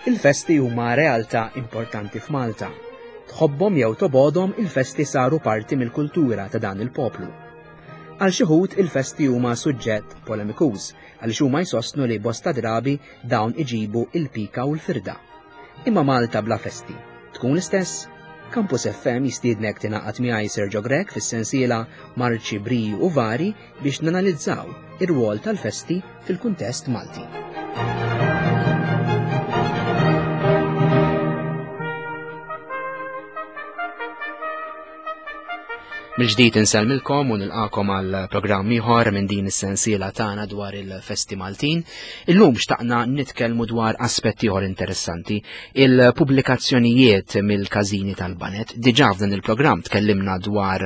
Il-festi huma realtà importanti f'Malta. Tħobbhom jew tobgħodhom il-festi saru parti mill-kultura ta' dan il-poplu. Għal xi wħud il-festi huma suġġett polemikuż għaliex huma jsostnu li bosta drabi dawn iġibu il-pika u l-firda. Imma Malta bla festi tkun l-istess? Campus FM jistiednek tingħaqad miegħi Sergio Grech fis-sensiela Marċi Briju u Vari biex nanalizzaw ir-rwol tal-festi fil-kuntest Malti. Mill-ġdid insellmilkom u nilqakom għal programm ieħor minn din is-sensiela tagħna dwar il-festi Maltin. Illum xtaqna nitkellmu dwar aspetti ieħor interessanti, il-pubblikazzjonijiet mill-każini tal-banet. Diġà f'dan il-programm tkellimna dwar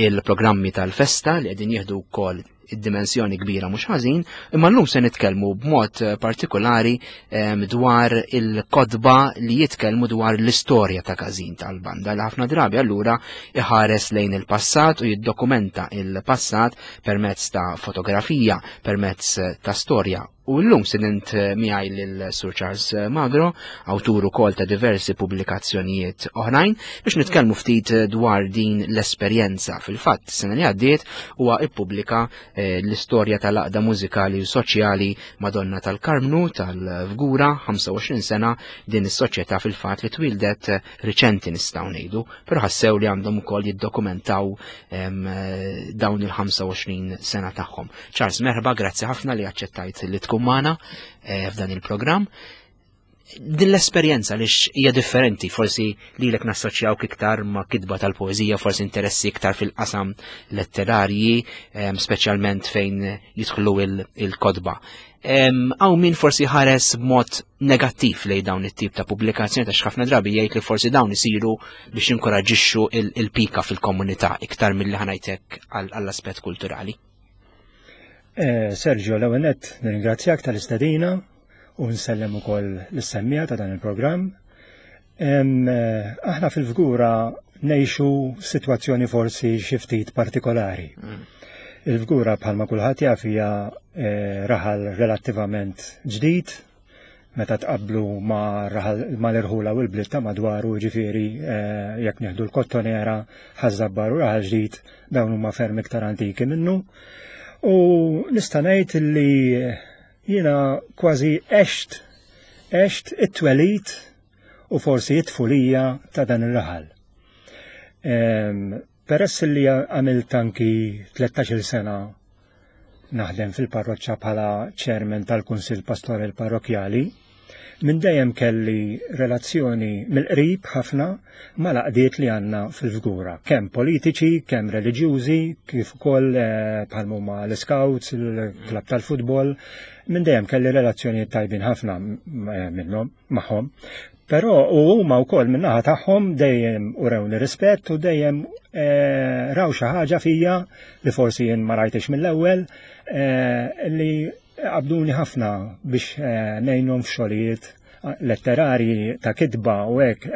il-programmi tal-festa li qegħdin jieħdu wkoll id-dimensjoni kbira mhux ħażin, imma llum se nitkellmu b'mod eh, partikolari ehm, dwar il-kodba li jitkellmu dwar l-istorja ta' każin tal-banda li ħafna drabi allura iħares lejn il-passat u jiddokumenta il-passat permezz ta' fotografija, permezz ta' storja U llum sidint eh, miegħi lil Sur Charles eh, Magro, awtur ukoll ta' diversi pubblikazzjonijiet oħrajn, biex nitkellmu ftit eh, dwar din l-esperjenza. Fil-fatt, sena li għaddiet huwa ippubblika l-istorja tal-aqda mużikali u soċjali Madonna tal-Karmnu tal-Fgura, 25 sena din is-soċjetà fil-fatt li twildet riċenti nistgħu ngħidu, però ħassew li għandhom ukoll jiddokumentaw dawn il-25 sena tagħhom. Charles, merħba, grazzi ħafna li aċċettajt li tkun magħna eh, f'dan il-programm. Din l-esperjenza li hija differenti, forsi lilek nassoċjawk iktar ma' kitba tal-poeżija, forsi interessi iktar fil-qasam letterarji, speċjalment fejn jidħlu il-kodba. Għaw min forsi ħares b'mod negattiv lej dawn it-tip ta' pubblikazzjoni ta' ħafna drabi jgħid li forsi dawn isiru biex inkoraġixxu il-pika fil-komunità iktar milli ħanajtek għall-aspett kulturali. Eh, Sergio, l-ewwel nett nirringrazzjak tal-istedina u nsellem ukoll l-semmija ta' dan il-programm. Eh, aħna fil-fgura ngħixu sitwazzjoni forsi xi ftit partikolari. Mm. Il-fgura bħalma kulħadd jaf hija eh, raħal relattivament ġdid, meta tqabblu ma' l-irħula u l-bliet ta' madwaru, ġifieri eh, jekk nieħdu l-Kottonera, Ħaż-Żabbar u Raħal Ġdid dawn huma ferm iktar antiki minnu. U nista' ngħid li jiena kważi għext għext it-twelid u forsi it-tfulija ta' dan ir-raħal. Ehm, peress li għamilt anki 13 sena Naħdem fil-parroċċa bħala chairman tal-Kunsill Pastorali Parrokkjali. Minn dejjem kelli relazzjoni mill-qrib ħafna mal-għaqdiet li għandna fil-Fgura, kemm politiċi, kemm reliġjużi, kif ukoll eh, bħal huma l-Scouts, il-klabb tal-futbol. Minn dejjem kelli relazzjonijiet tajbin ħafna eh, minnhom magħhom. Però u huma wkoll min-naħa tagħhom dejjem urewni rispett u dejjem eh, raw xi ħaġa fija li forsi jien ma rajtix mill-ewwel eh, li qabduni ħafna biex eh, ngħinhom f'xogħlijiet letterarji ta' kitba u hekk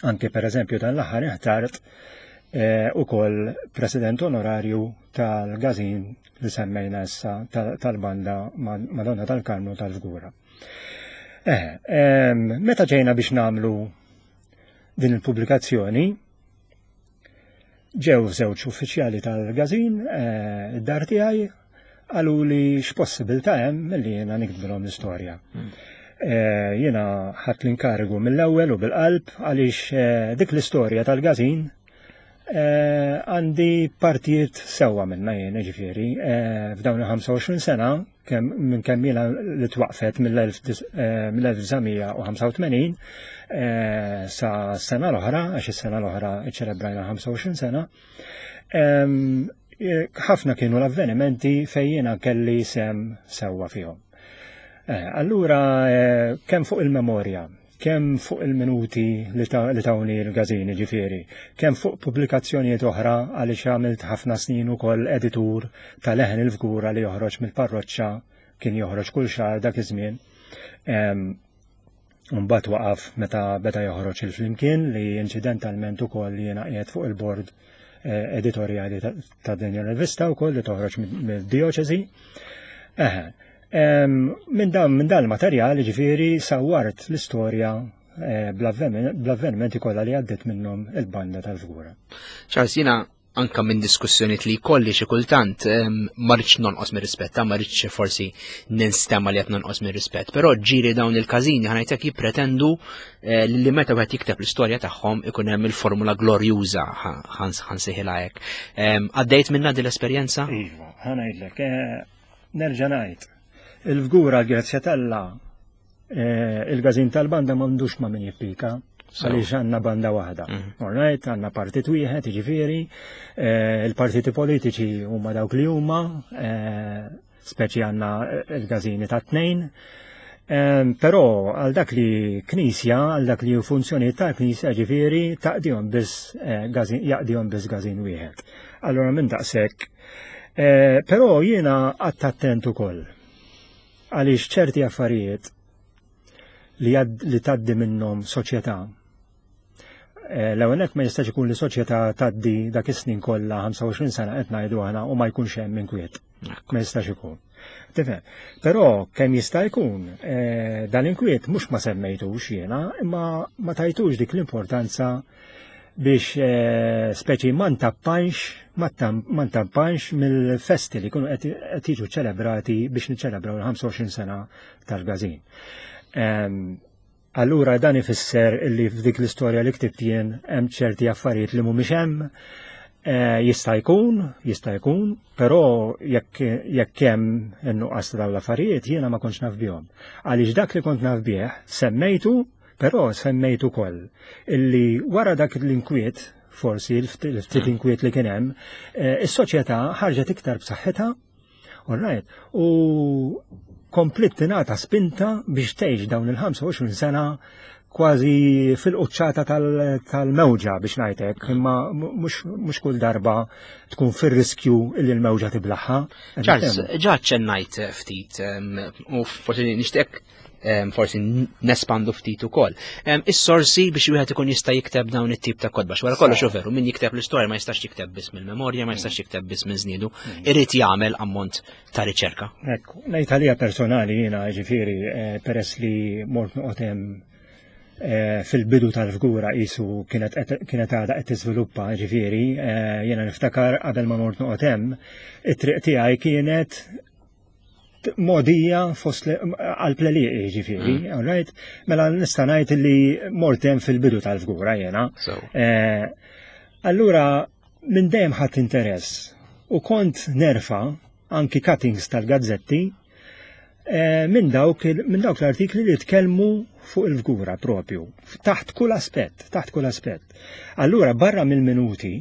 Anke per eżempju dan l-aħħar inħtart eh, ukoll president onorarju tal-gazin li semmejna issa tal-banda Madonna tal-Karmnu tal-Fgura. Eh, meta ġejna biex namlu din il-pubblikazzjoni, Ġew żewġ uffiċjali tal-gazin eh, id-dar tiegħi qalu li x'possibilità hemm li jiena niktbilhom l-istorja. Hmm. Eh, jiena ħadd l-inkarigu mill-ewwel u bil-qalb għaliex eh, dik l-istorja tal-gazin għandi partijiet sewwa minna jien ġifieri f'dawn il-25 sena kemm minn kemm ilha li twaqfet mill-1985 eh, sa sena l-oħra, għax is-sena l-oħra ċelebrajna 25 sena, eh, ħafna kienu l-avvenimenti fejn jiena kelli sem sewwa fihom. Eh, allura kemm fuq il-memorja, kemm fuq il-minuti li tawni l-gazini ġifieri, kemm fuq pubblikazzjonijiet oħra għaliex għamilt ħafna snin ukoll editur ta' Leħen il-Fgura li joħroġ mill-parroċċa kien joħroġ kull xahar dak iż-żmien. Mbagħad waqaf meta beda joħroġ il-Flimkien li inċidentalment ukoll jiena qiegħed fuq il-bord eh, editorjali ta' din ir-rivista wkoll li toħroġ mid-dioċesi. Minn dan minn dan il-materjal ġifieri sawwart l-istorja eh, bl-avvenimenti kollha li għaddiet minnhom il-banda tal-Fgura. Charles, jiena anka minn diskussjoniet li jkolli xi kultant ma rridx nonqos mir-rispett, ma rridx forsi ninstema li qed nonqos mir-rispett, però ġiri dawn il-każini ħanajtek jippretendu eh, li meta wieħed jikteb l-istorja tagħhom ikun hemm il-formula glorjuża ħansejħilha hekk. Għaddejt minna din l-esperjenza? Iva, ħanajdlek, eh, nerġa' ngħid. Il-fgura grazzja talla eh, il-gazin tal-banda m'għandux ma' min jippika għaliex għandna banda waħda. Mhm. All right, għandna partit wieħed, jiġifieri, eh, il-partiti politiċi huma dawk li huma, eh, speċi għandna il-gazini ta' tnejn. Però għal dak li knisja, għal dak li funzjoni ta' knisja ġifieri taqdihom biss jaqdihom biss gazin wieħed. Allora minn daqshekk Eh, però jiena qatt attent ukoll għaliex ċerti affarijiet li, li taddi minnhom soċjetà eh, l-ewwel ma jistax ikun li soċjetà taddi dak is-snin kollha 25 sena qed ngħidu aħna u ma jkunx hemm inkwiet. Ma jistax ikun. Tifhem. Però kemm jista' jkun eh, dan inkwiet mhux ma semmejtux jiena, imma ma tajtux dik l-importanza biex eh, speċi ma ntappanx ma ntappanx mill-festi li kunu qed jiġu ċelebrati biex niċċelebraw il-25 sena tal-gazin. Ehm, allura dan ifisser li f'dik l-istorja li ktibt jien hemm ċerti affarijiet li mhumiex hemm, eh, jista' jkun, jista' jkun, però jekk jekk hemm in-nuqqas ta' dawn l-affarijiet jiena ma kontx naf bihom. Għaliex dak li kont naf bih semmejtu Però semmejt ukoll illi wara dak l-inkwiet, forsi l-ftit mm. inkwiet li kien hemm, eh, is-soċjetà ħarġet iktar b'saħħitha, all right, u komplit tingħata spinta biex tgħix dawn il-25 sena kważi fil-quċċata tal-mewġa biex ngħidlek, imma mhux kull darba tkun fir-riskju li l-mewġa tiblaħħa. Charles, ġa ċennajt ftit u forsi nixtieq forsi nespandu ftit ukoll. Is-sorsi biex wieħed ikun jista' jikteb dawn it-tip ta' kotba. Wara kollox hu veru, min jikteb l-istorja ma jistax jikteb biss mill-memorja, ma jistax jikteb biss minn żniedu, mm. irid jagħmel ammont ta' riċerka. Ekku, ngħid għalija personali jiena ġifieri eh, peress li mort noqgħod hemm eh, fil-bidu tal-fgura qisu kienet kienet għadha qed tiżviluppa ġifieri, eh, jiena niftakar qabel ma mort noqgħod hemm, it-triq tiegħi kienet modija fost għal pleliqi ġifieri, mm. all right? Mela nista' ngħid li mortem fil-bidu tal-fgura jiena. Eh, allura minn dejjem ħadd interess u kont nerfa anki cuttings tal-gazzetti eh, minn dawk minn dawk l-artikli li tkellmu fuq il-fgura propju, taħt kull aspett, taħt kull aspett. Allura barra mill-minuti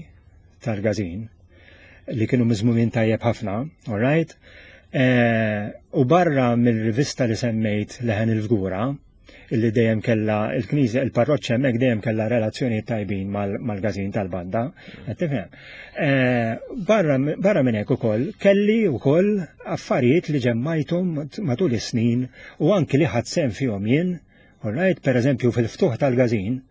tal-gazin li kienu miżmumin tajjeb ħafna, all right? Eh, u barra mill-rivista li semmejt Leħen il-Fgura, illi dejjem kella il-knisja, il-parroċċa hemmhekk dejjem kella relazzjonijiet tajbin mal-gazin tal-banda, qed tifhem. Eh, barra minn hekk ukoll kelli wkoll affarijiet li ġemmajthom matul is-snin u anki li ħadd sehem fihom jien, all right, pereżempju fil-ftuħ tal-gazin,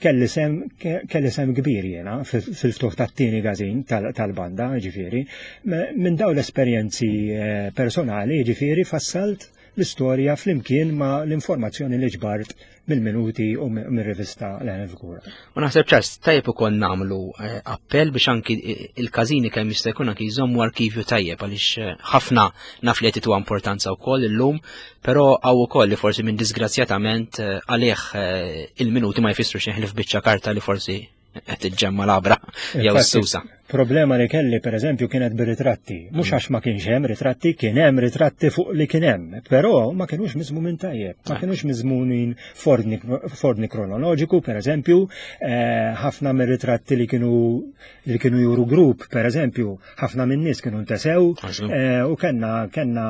kelli sem kelli sem kbir jiena fil-ftuħ tat-tieni gazin tal-banda, ġifieri. Minn dawn l-esperjenzi eh, personali, ġifieri, fassalt l-istorja flimkien ma' l-informazzjoni li ġbart mill-minuti u mir-rivista l-Għana U naħseb ċars, tajjeb ukoll nagħmlu eh, appell biex anki il-każini kemm jista' jkun anki jżommu arkivju tajjeb għaliex eh, ħafna naf li qed importanza wkoll illum Però hawn ukoll li forsi minn disgrazzjatament eh, għalih eh, il-minuti ma jfissru xejn ħlief biċċa karta li forsi qed tiġġemma labra jew susa. Problema li kelli pereżempju kienet bir-ritratti. Mhux mm. għax ma kienx hemm ritratti, kien hemm ritratti fuq li kien hemm, però ma kienux miżmumin tajjeb, ma ah. kienux miżmumin f'ordni kronoloġiku, pereżempju, eh, ħafna mir-ritratti li kienu li kienu juru grupp, pereżempju, ħafna minn nies kienu ntesew eh, u kellna kellna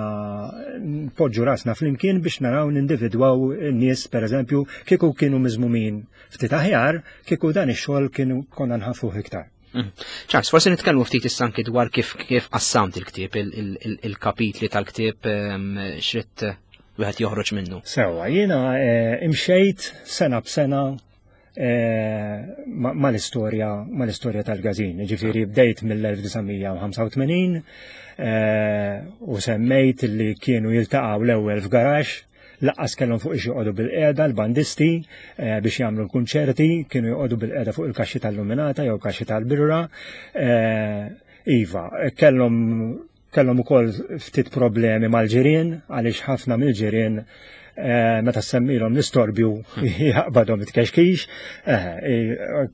poġġu rasna flimkien biex naraw nindividwaw n-nies pereżempju kieku kienu miżmumin ftit aħjar kieku dan ix-xogħol kienu konna nħafuh iktar. Mm. Charles, forsi nitkellmu ftit issa anki dwar kif kif qassamt il-ktieb, il-kapitli tal-ktieb ehm, xritt wieħed joħroġ minnu. Sewa, jiena eh, imxejt sena b'sena. eh, mal-istorja mal-istorja tal-gazin. Ġifieri bdejt mill-1985 eh, u semmejt li kienu jiltaqgħu l-ewwel f'garax laqqas kellhom fuq ix joqogħdu bil-qiegħda l-bandisti eh, biex jagħmlu l-kunċerti, kienu joqogħdu bil-qiegħda fuq il-kaxxi tal-luminata jew kaxxi tal-birra. Iva, kellhom Kellhom ukoll ftit problemi mal-ġirien għaliex ħafna mill-ġirien eh, meta semmilhom l-istorbju jaqbadhom it-kexkix, eh,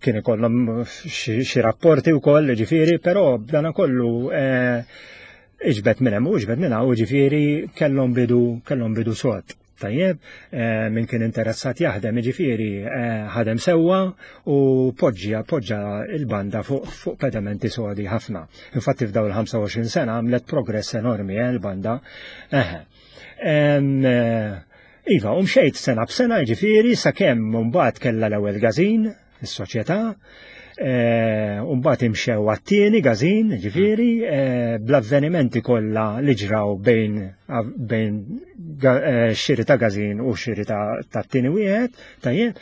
kien ikollhom xi rapporti wkoll ġifieri, però b'dana kollu eh, iġbed minn hemm u iġbed minn hawn ġifieri kellhom bidu kellhom bidu sod. Tajjeb, eh, min kien interessat jaħdem, jiġifieri eh, ħadem sewwa u poġġja poġġa il-banda fuq fu pedamenti sodi ħafna. Infatti f'daw il-25 sena għamlet progress enormi eh, il-banda. Eħe. Iva, u mxejt sena b'sena jiġifieri sakemm mbagħad kellha l-ewwel gażin, is-soċjetà, eh, u mbagħad imxew għat-tieni gażin, ġifieri, eh, bl-avvenimenti kollha li ġraw bejn bejn eh, xiri ta' gażin u xiri ta' tieni wieħed, tajjeb,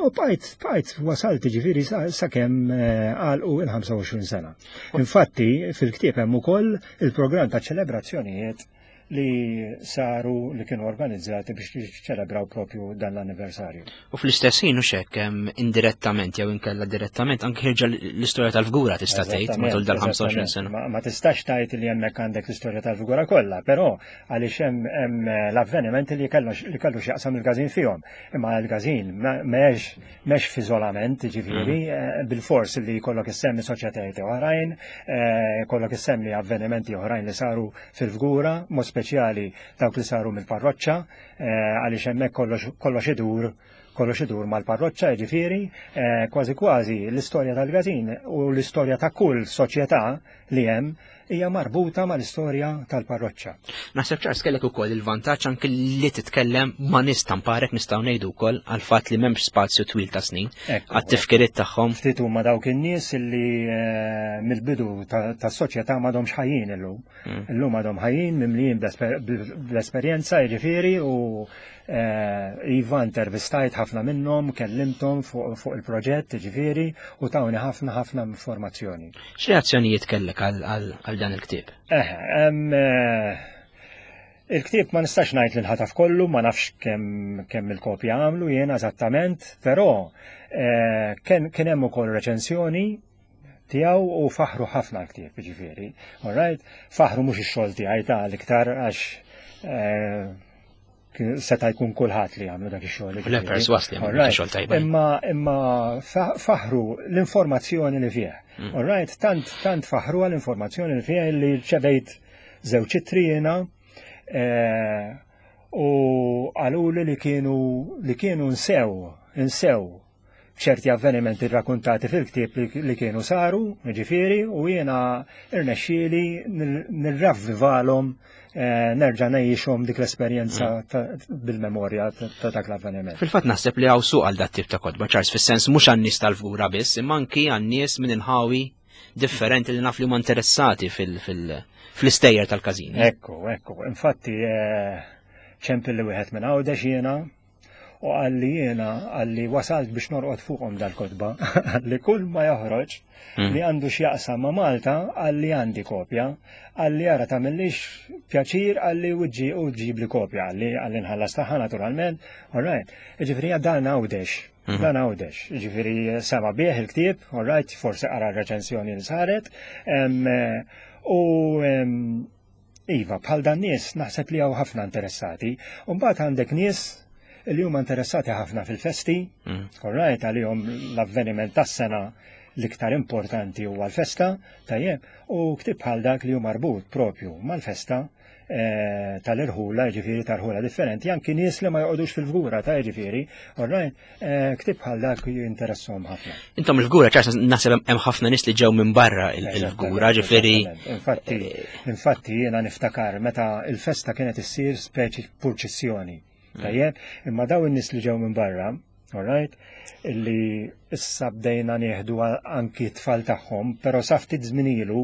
u bqajt bqajt wasalt ġifieri sakemm għalqu il-25 sena. Infatti fil-ktieb hemm ukoll il-programm ta' ċelebrazzjonijiet li saru li kienu organizzati biex jiċċelebraw propju dan l-anniversarju. U fl-istess ħin hux hekk indirettament jew inkella direttament anke ħirġa l-istorja tal-fgura tista' tgħid matul dal-25 sena. Ma tistax tgħid li hemmhekk għandek l-istorja tal-fgura kollha, però għaliex hemm l-avvenimenti li kellu li kellu x'jaqsam il-każin fihom. Imma l-każin m'hemmx m'hemmx f'iżolament, ġifieri, mm. eh, bil-fors li jkollok issemmi soċjetajiet oħrajn, eh, jkollok issemmi avvenimenti oħrajn li saru fil-fgura, mod speċjali dawk li saru mill-parroċċa, eh, għaliex hemmhekk kollox idur kollox idur mal-parroċċa, jiġifieri, eh, kważi kważi l-istorja tal-gazin u l-istorja ta' kull soċjetà li hemm hija marbuta mal-istorja tal-parroċċa. Naħseb ċars kellek ukoll il-vantaġġ anki li titkellem ma' nies tamparek nistgħu ngħidu wkoll għal fatt li m'hemmx spazju twil ta' snin għat-tifkiriet tagħhom. Ftit huma dawk in-nies li eh, mill-bidu tas-soċjetà m'għadhomx ħajjin illum. Mm. Illum għadhom ħajjin mimlijin bl-esperjenza jiġifieri u eh, iva intervistajt ħafna minnhom, kellimthom fuq il-proġett jiġifieri u tawni ħafna ħafna informazzjoni. X'reazzjonijiet kellek għal dan il-ktieb? Eh, eh, il-ktieb ma nistax ngħid li nħataf kollu, ma nafx kemm kemm il-kopja għamlu jiena eżattament, però kien hemm ukoll reċensjoni tiegħu u faħru ħafna l-ktieb, ġifieri. All right? Faħru mhux ix-xogħol tiegħi ta' l-iktar għax eh, seta' jkun kulħadd li għamlu dak ix-xogħol. Le perswas li għamlu xogħol tajba. Imma imma faħru l-informazzjoni li fih. Mm. All right? Tant tant faħru l-informazzjoni li fih li ċevejt żewġ ittri jiena eh, u qaluli li kienu li kienu nsew nsew ċerti avvenimenti rrakuntati fil-ktieb li kienu saru, ġifieri, u jiena irnexxieli nirravvivalhom eh, nerġa' ngħixhom dik l-esperjenza mm. bil-memorja ta' dak l-avveniment. Fil-fatt naħseb li hawn suq għal dat tip ta' kotba ċars fis-sens mhux għan-nies tal-fgura biss, imma anki għan-nies minn inħawi differenti li naf li huma interessati fil-istejjer tal-każini. Ekku, ekku. Infatti, eh, ċempil li wieħed minn Għawdex jiena U qalli jiena qalli wasalt biex norqod fuqhom dal-kotba. Qalli kull ma joħroġ hmm. li għandu x'jaqsam ma' Malta qalli għandi kopja. Qalli ara tagħmillix pjaċir qalli uġġi u ġib li kopja qalli qalli nħallas tagħha naturalment. All right. Ġifieri dan għawdex. Hmm. Dan għawdex. Ġifieri sema bih il-ktieb, all right, forsi qara r-reċensjoni li saret. U Iva, bħal dan nies naħseb li hawn ħafna interessati. U mbagħad għandek nies li huma interessati ħafna fil-festi, mm. all right, għalihom l-avveniment tas-sena l-iktar importanti huwa l-festa, tajjeb, u ktib bħal dak li hu marbut propju mal-festa eh, tal-irħula, ġifieri tal-ħula differenti, anki nies li ma joqogħdux fil-fgura ta' ġifieri, all right, Eh, ktib bħal dak jinteressom ħafna. Intom il-fgura ċars naħseb hemm ħafna nies li ġew minn barra il-fgura, ġifieri. Infatti, eh, infatti jiena niftakar meta il-festa kienet issir speċi purċissjoni. Mm. Tajjeb, imma daw in-nies li ġew minn barra, all right, illi issa bdejna nieħdu anki tfal tagħhom, però sa ftit żmien ilu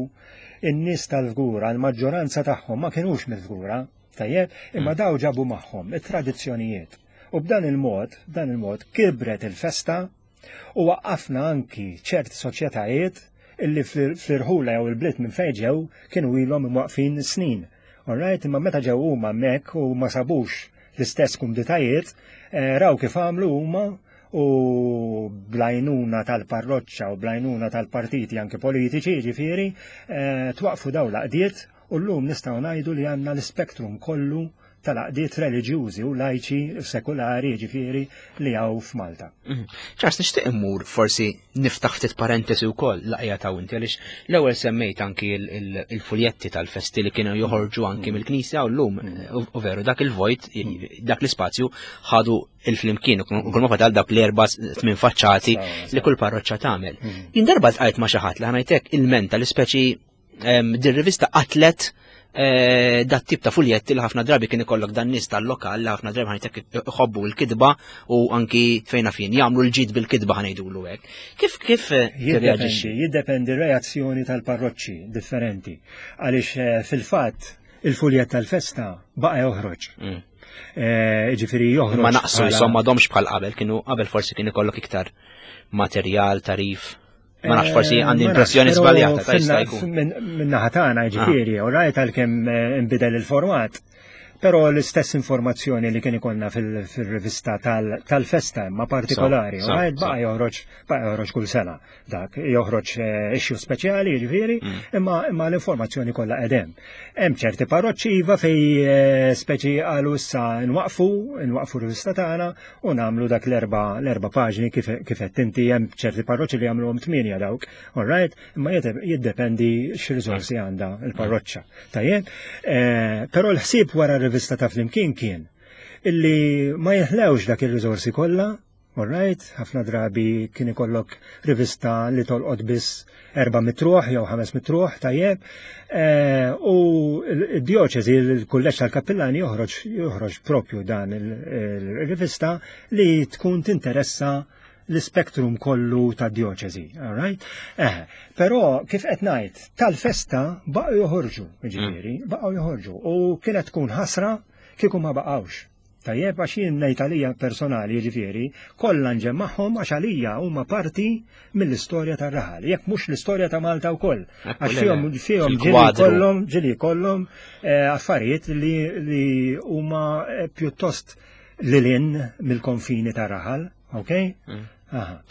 in-nies tal-fgura, l-maġġoranza tagħhom ma kinux mill-fgura, tajjeb, imma mm. daw ġabu magħhom it-tradizzjonijiet. U b'dan il-mod, b'dan il-mod kibret il-festa. U waqqafna anki ċerti soċjetajiet illi fl-irħula jew il-bliet minn fejn ġew kienu ilhom imwaqfin snin. Alright, imma meta ġew huma hemmhekk u ma sabux l-istess kumditajiet, eh, raw kif għamlu huma u blajnuna tal-parroċċa u blajnuna tal-partiti anki politiċi, ġifieri, eh, twaqfu daw l-għaqdiet u llum nistgħu ngħidu li għandna l-ispektrum kollu tal-għaqdiet reliġjużi u lajċi sekulari ġifieri li hawn f'Malta. Mhm. Ċars nixtieq immur forsi niftaħ ftit parentesi wkoll laqja ta' inti għaliex l-ewwel semmejt anki il-fuljetti tal-festi li kienu joħorġu anki mhm. mill-knisja u llum mhm. u veru dak il-vojt dak l-ispazju ħadu il-flimkien u kull ma fadal dak l-erba' tmien faċċati li kull parroċċa tagħmel. Jien darba ltqajt ma' xi ħadd li ħanajtek il-menta l-ispeċi din rivista qatlet eh, dat tip ta' fuljetti li ħafna drabi kien ikollok dan nies tal-lokal li ħafna drabi ħajtek iħobbu l-kidba u anki fejna fin jagħmlu l-ġid bil-kidba ħanejdulu hekk. Kif kif eh, tirreaġixxi? Jiddependi reazzjoni tal-parroċċi differenti. Għaliex eh, fil-fatt il-fuljett tal-festa baqa' joħroġ. Mm. Ġifieri joħroġ. Ma naqsu insomma domx bħal qabel, kienu qabel forsi kien ikollok iktar materjal, tarif. Ma nafx forsi eh, għandi impressjoni żbaljata ta' jista' jkun. Min-naħa tagħna ġifieri, ah. u rajt għalkemm eh, inbidel il-format. Però l-istess informazzjoni li kien ikollna fil-rivista tal-festa imma partikolari, u rajt baqa' joħroġ baqa' joħroġ kull sena. Dak joħroġ eh, issue speċjali ġifieri, mm. imma imma l-informazzjoni kollha qegħdem. Hemm ċerti parroċċi iva fej speċi qalu issa nwaqfu, nwaqfu r-rivista tagħna u nagħmlu dak l-erba' l-erba' paġni kif kif qed inti hemm ċerti parroċċi li jagħmluhom tmienja dawk, all right, imma jiddependi x'riżorsi għandha l-parroċċa. Tajjeb, eh, però l-ħsieb wara r-rivista ta' Flimkien kien illi ma jeħlewx dak ir-riżorsi kollha, all right, ħafna drabi kien ikollok rivista li tolqot biss erba' mitruħ jew ħames mitruħ, tajjeb, eh, u d-dioċesi, il-kulleġġ tal-kappillani joħroġ joħroġ propju dan il-rivista li tkun tinteressa l-spektrum kollu ta' dioċesi, all right? Eh, però kif qed ngħid, tal-festa baqgħu joħorġu, ġifieri, mm. baqgħu joħorġu u kienet tkun ħasra kieku ma baqgħux. Tajjeb, għax jien ngħid għalija personali, jiġifieri, kollha nġemmagħhom għax għalija huma parti mill-istorja tar-raħal, jekk mhux l-istorja ta' Malta wkoll. Għax fihom fihom ġieli jkollhom ġieli jkollhom eh, affarijiet li li huma eh, pjuttost lilin mill-konfini tar-raħal, ok? Mm. Aha.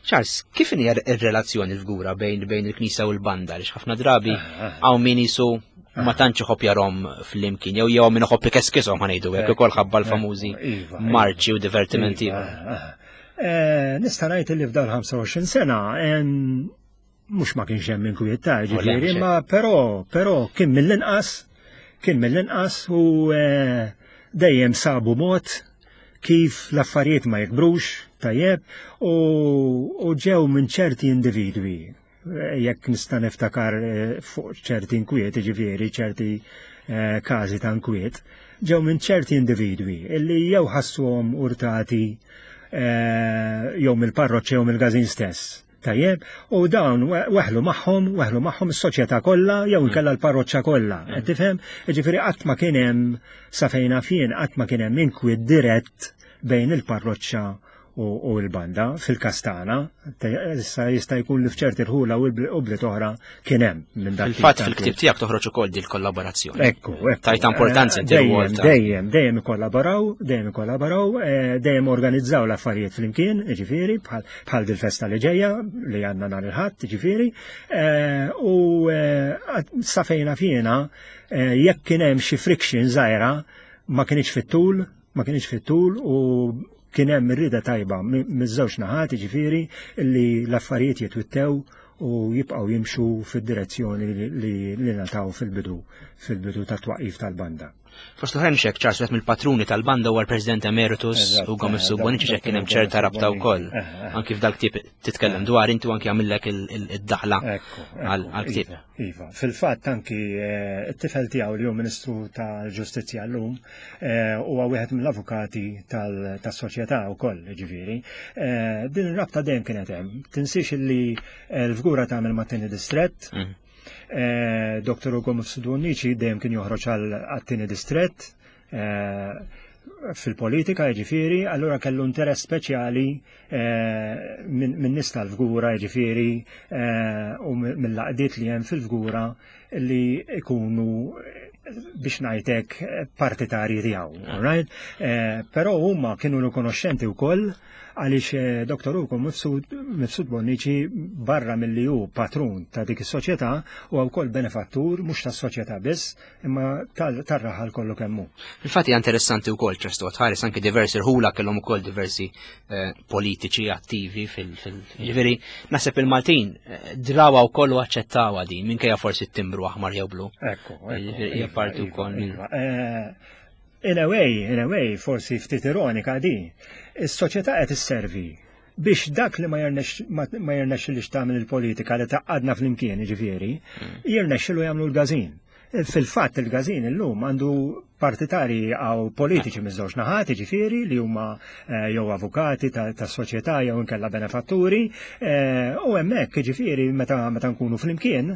Charles, kif inhi r-relazzjoni l-fgura bejn bejn il-Knisja u l-banda? Għaliex ħafna drabi hawn min jisu ma tantx iħobb jarhom flimkien, jew jew min iħobb ikeskishom ħanejdu hekk ukoll ħabba l-famużi iva, iva. marċi u divertimenti. Iva, eh, nista' ngħid li f'dal 25 sena mhux ma kienx hemm inkwiet ta' ġifieri, ma però però kien mill-inqas kien mill-inqas u eh, dejjem sabu mod kif l-affarijiet ma jikbrux tajjeb u, u ġew minn ċerti individwi eh, jekk nista' niftakar eh, fuq ċerti inkwiet, ġifieri ċerti każi ta' inkwiet, ġew minn ċerti individwi illi jew ħassuhom urtati jew mill-parroċċa jew mill-gazin stess. Tajjeb, u dawn weħlu magħhom, weħlu magħhom is-soċjetà kollha jew mm. inkella l-parroċċa kollha. Mm. Qed tifhem? Jiġifieri qatt ma kien hemm sa fejn fien qatt ma kien hemm inkwiet dirett bejn il-parroċċa u l-banda fil-kastana, issa jista' jkun li f'ċerti rħula u bliet oħra kien hemm minn dak. Fil-fatt fil-ktieb tiegħek toħroġ ukoll din il-kollaborazzjoni. Ekku, ekku. Tajta importanza inti Dejjem, dejjem, dejjem ikkollaboraw, dejjem ikkollaboraw, eh, dejjem organizzaw l-affarijiet flimkien, ġifieri, bħal dil-festa li ġejja li għandna nhar il-Ħadd, ġifieri, eh, u eh, sa fejna fjena jekk kien hemm xi friction żgħira ma kienx fit-tul, ma kienx fit-tul u kien hemm ir-rieda tajba miż-żewġ naħat, ġifieri li l-affarijiet jitwittew u jibqgħu jimxu fid-direzzjoni li li nataw fil-bidu fil-bidu tat-twaqif tal-banda. Fost l-oħrajn xek ċars wieħed mill-patruni tal-banda huwa l-President Emeritus Ugo Mifsud Bonnici xek kien hemm ċerta rabta wkoll. Eh, eh. Anki f'dal ktieb titkellem dwar inti anki għamillek id-daħla għal-ktieb. Iva, iva, fil-fatt anki eh, t-tifel tiegħu li hu Ministru tal-Ġustizzja llum huwa wieħed mill-avukati tas-soċjetà wkoll, ġifieri. Din ir-rabta dejjem kienet hemm. Tinsiex li l-fgura tagħmel mat-tieni distrett, mm. Eh, Dr. Ugo Mifsud Bonnici dejjem kien joħroġ għat-tieni distrett. Eh, fil-politika jiġifieri, allura kellu interess speċjali eh, minn nies tal-Fgura jiġifieri eh, u mill-laqdiet li hemm fil-Fgura li ikunu biex ngħidlek partitarji tiegħu, all right? Eh, però huma kienu rikonoxxenti wkoll għaliex eh, Dr. Ugo Mifsud Bonnici barra milli hu patrun ta' dik is-soċjetà u wkoll benefattur mhux tas-soċjetà biss imma tar-raħal kollu kemm hu. Fil-fatt hija interessanti wkoll ċertu tħares anke diversi rħula kellhom ukoll diversi eh, politiċi attivi fil ġifieri naħseb il-Maltin eh, drawa wkoll u aċċettawha din minkejja forsi t-timbru aħmar jew blu. Ekku, hija parti iva, wkoll minn. Iva. In a way, in a way, forsi ftit ironika di, is-soċjetà qed isservi biex dak li ma jirnexxilix tagħmel il-politika li tgħaqqadna flimkien, jiġifieri, jirnexxilu jagħmlu l-gażin. Fil-fatt il-gażin illum għandu partitari għaw politiċi miż-żewġ naħat, jiġifieri li huma eh, jew avukati tas-soċjetà jew inkella benefatturi, eh, u hemmhekk jiġifieri meta meta nkunu flimkien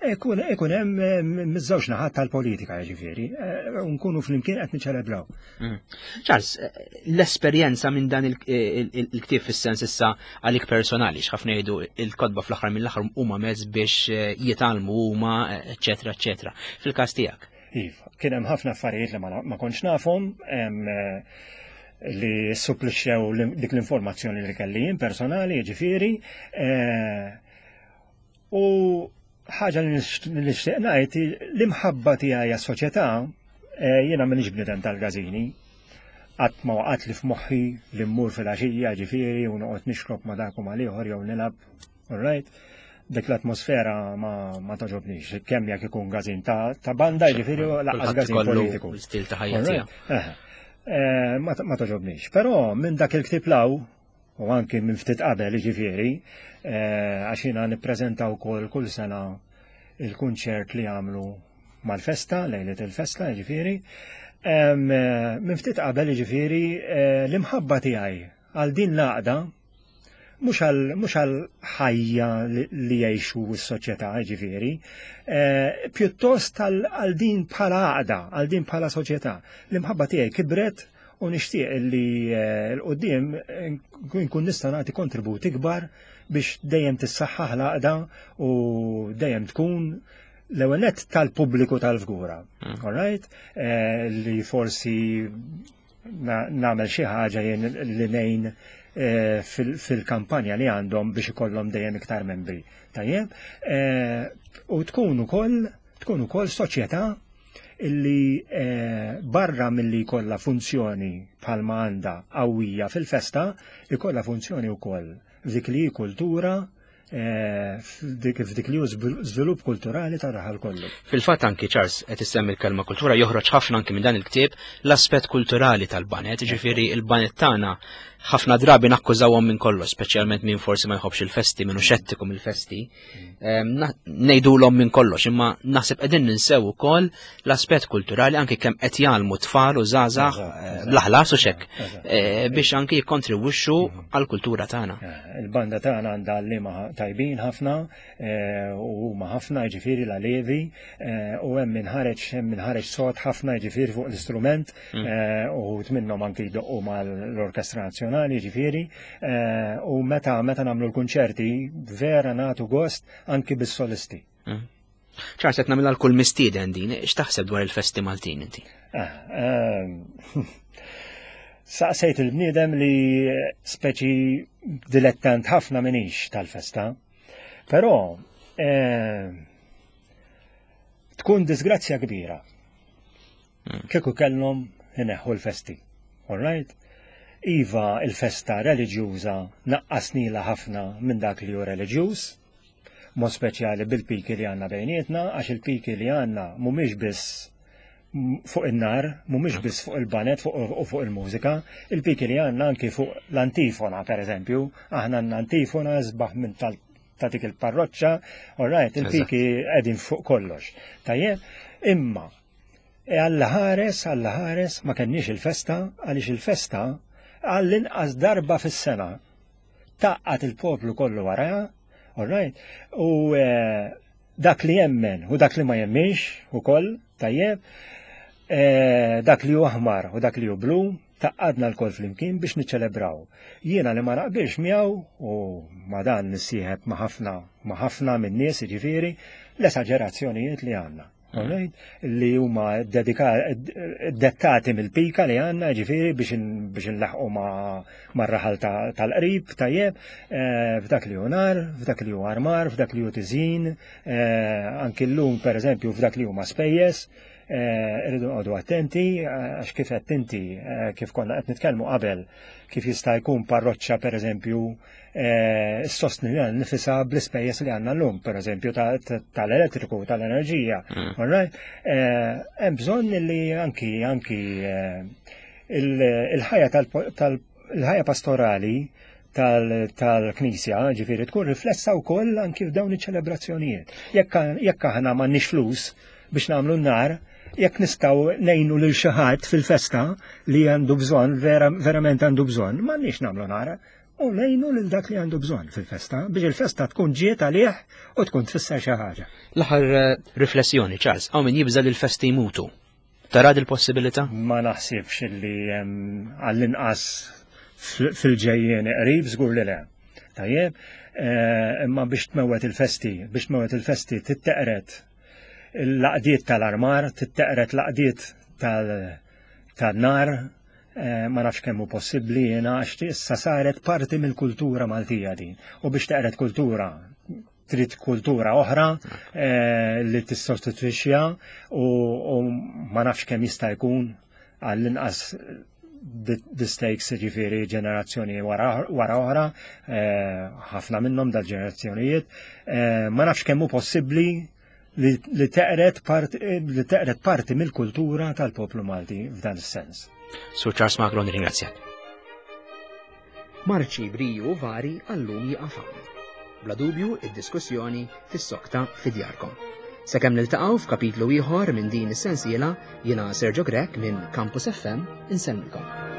ikun ikun hemm eh, miż-żewġ naħat tal-politika jiġifieri, u nkunu flimkien qed niċċelebraw. Mm. Charles, l-esperjenza minn dan il-ktieb fis-sens issa għalik personali, x'ħafna jgħidu il-kotba fl-aħħar mill-aħħar huma mezz biex eh, jitgħallmu huma, eċetera, eċetera. Fil-każ tiegħek. Iva, kien hemm ħafna affarijiet li ma kontx nafhom, eh, li supplixxew dik l-informazzjoni li kelli jien personali, jiġifieri. Eh, u ħaġa li nixtieq ngħid l-imħabba tiegħi għas-soċjetà eh, jiena m'iniex bniedem tal-gażini. Qatt ma waqgħet li f'moħħi li mmur fil-għaxija ġifieri u noqgħod nixrob ma' dak u mal-ieħor jew nilgħab, all right? Dik l-atmosfera ma, ma toġobnix, kemm jekk ikun gażin ta', ta banda ġifieri u lanqas gażin politiku. Stil ta' ħajja tiegħu. Eh, ma, ma toġobnix. Però minn dak il-ktieb law, u anki minn ftit qabel ġifieri, eh, għax jiena nippreżenta wkoll kull sena il-kunċert li għamlu mal-festa, lejlet il-festa, ġifieri. Eh, minn ftit qabel ġifieri eh, l-imħabba tiegħi għal din l-għaqda mhux għal ħajja li jgħixu s-soċjetà ġifieri, eh, pjuttost għal din bħala għaqda, għal din bħala soċjetà. L-imħabba tiegħi kibret u nixtieq li l-qudiem nkun nista' nagħti kontribut ikbar biex dejjem tissaħħaħ l-għaqda u dejjem tkun l-ewwel nett tal-pubbliku tal-Fgura. Mm. All right? Eh, li forsi nagħmel xi ħaġa jien li ngħin eh, fil-kampanja li għandhom biex ikollhom dejjem iktar membri. Tajjeb? Eh, u tkun ukoll tkun ukoll soċjetà illi barra milli jkollha funzjoni bħalma għandha qawwija fil-festa, ikollha funzjoni wkoll f'dik li hi kultura Eh, f'dik li hu żvilupp kulturali tar-raħal kollu. Fil-fatt anki Charles qed issemmi l-kelma kultura joħroġ ħafna anki minn dan il-ktieb l-aspett kulturali tal-banet, ġifieri il-banet tagħna ħafna drabi nakkużawhom minn kollox, speċjalment minn forsi ma jħobbx il-festi, minnu xettiku mill-festi. Ehm, ngħidulhom minn kollox, imma naħseb qegħdin ninsew ukoll l-aspett kulturali anki kemm qed jgħallmu tfal u żgħażagħ eh, bl-aħlas u xek eh, biex anki jikkontribwixxu mhm. għall-kultura tagħna. Eh, il-banda tagħna għandha għalliema tajbin ħafna u huma ħafna jiġifieri l-alevi u hemm min ħareġ hemm min ħareġ sod ħafna jiġifieri fuq l-istrument mm. u minnhom anki jdoqqu mal-Orkestra Nazzjonali jiġifieri u meta meta nagħmlu l-kunċerti vera nagħtu gost anki bis-solisti. Mm. Charles, qed nagħmilha l-kull mistieden din, x'taħseb dwar il-festi Maltin inti? Ah, ehm, saqsejt il-bniedem li speċi dilettant ħafna minix tal-festa, però ehm, tkun disgrazzja kbira. Hmm. Kieku kellhom ineħħu l-festi. All right? Iva il-festa reliġjuża naqqasnila ħafna minn dak li hu reliġjuż, mod speċjali bil-piki li għandna bejnietna, għax il-piki li għandna mhumiex biss fuq in-nar, mhumiex biss fuq il-banet u fuq il-mużika, il-piki li għandna anki fuq l-antifona, per eżempju, aħna għandna antifona sbaħ minn tal ta' dik il-parroċċa, all right, il-piki qegħdin fuq kollox. Tajjeb, imma e Alla ħares, Alla ħares, ma kenniex il-festa, għaliex il-festa għall-inqas darba fis-sena tgħaqqad il-poplu kollu waraha, all right, u eh, dak li jemmen u dak li ma jemminx ukoll, tajjeb. Dak li hu aħmar u dak li hu blu tgħaqqadna lkoll flimkien biex niċċelebraw. Jiena li ma naqbilx miegħu u ma dan nissieħeb ma' ħafna ma' ħafna min-nies jiġifieri l-esaġerazzjonijiet li għandna. Alright? Li huma dettati mill-pika li għandna ġifieri biex biex nlaħqu mar-raħal tal-qrib tajjeb, f'dak li hu nar, f'dak li hu armar, f'dak li hu tiżjin, anki llum pereżempju f'dak li huma spejjeż. Irridu noqogħdu attenti għax kif qed inti kif konna qed nitkellmu qabel kif jista' jkun parroċċa pereżempju ssostni lilha nnifisha bl-ispejjeż li għandna llum, pereżempju tal-elettriku, tal-enerġija. All right? Hemm bżonn li anki anki il-ħajja tal-ħajja pastorali tal-Knisja, ġifieri tkun riflessa wkoll anki f'dawn iċ-ċelebrazzjonijiet. Jekk aħna m'għandniex flus biex nagħmlu n-nar, jekk nistgħu ngħinu lil xi ħadd fil-festa li għandu bżonn, verament għandu bżonn, m'għandniex nagħmlu nar. U ngħinu lil dak li għandu bżonn fil-festa biex il-festa tkun ġiet għalih u tkun tfisser xi ħaġa. L-aħħar riflessjoni, Charles, hawn min jibża' li l-festi jmutu. Tara dil-possibilità? Ma naħsibx li għall-inqas fil-ġejjien qrib żgur li le. Tajjeb, imma biex tmewwet il-festi, biex tmewwet il-festi titteqret l-għaqdiet tal-armar, titteqret l-għaqdiet tan-nar, ma nafx kemm hu possibbli jiena għax issa saret parti mill-kultura Maltija din. U biex teqret kultura trid kultura oħra li tissostitwixxiha u ma nafx kemm jista' jkun għall-inqas the stakes ġifieri ġenerazzjoni wara oħra, ħafna minnhom dal-ġenerazzjonijiet, ma nafx kemm hu possibbli li teqret parti, li teqret parti mill-kultura tal-poplu Malti f'dan is-sens. Sur Charles Magro, nirringrazzjak. Marċi briju vari għallum jieqaf hawn. Bla dubju, id-diskussjoni tissokta fi djarkom. Sakemm niltaqgħu f'kapitlu ieħor minn din is-sensiela, jiena Sergio Grech minn Campus FM insellmilkom.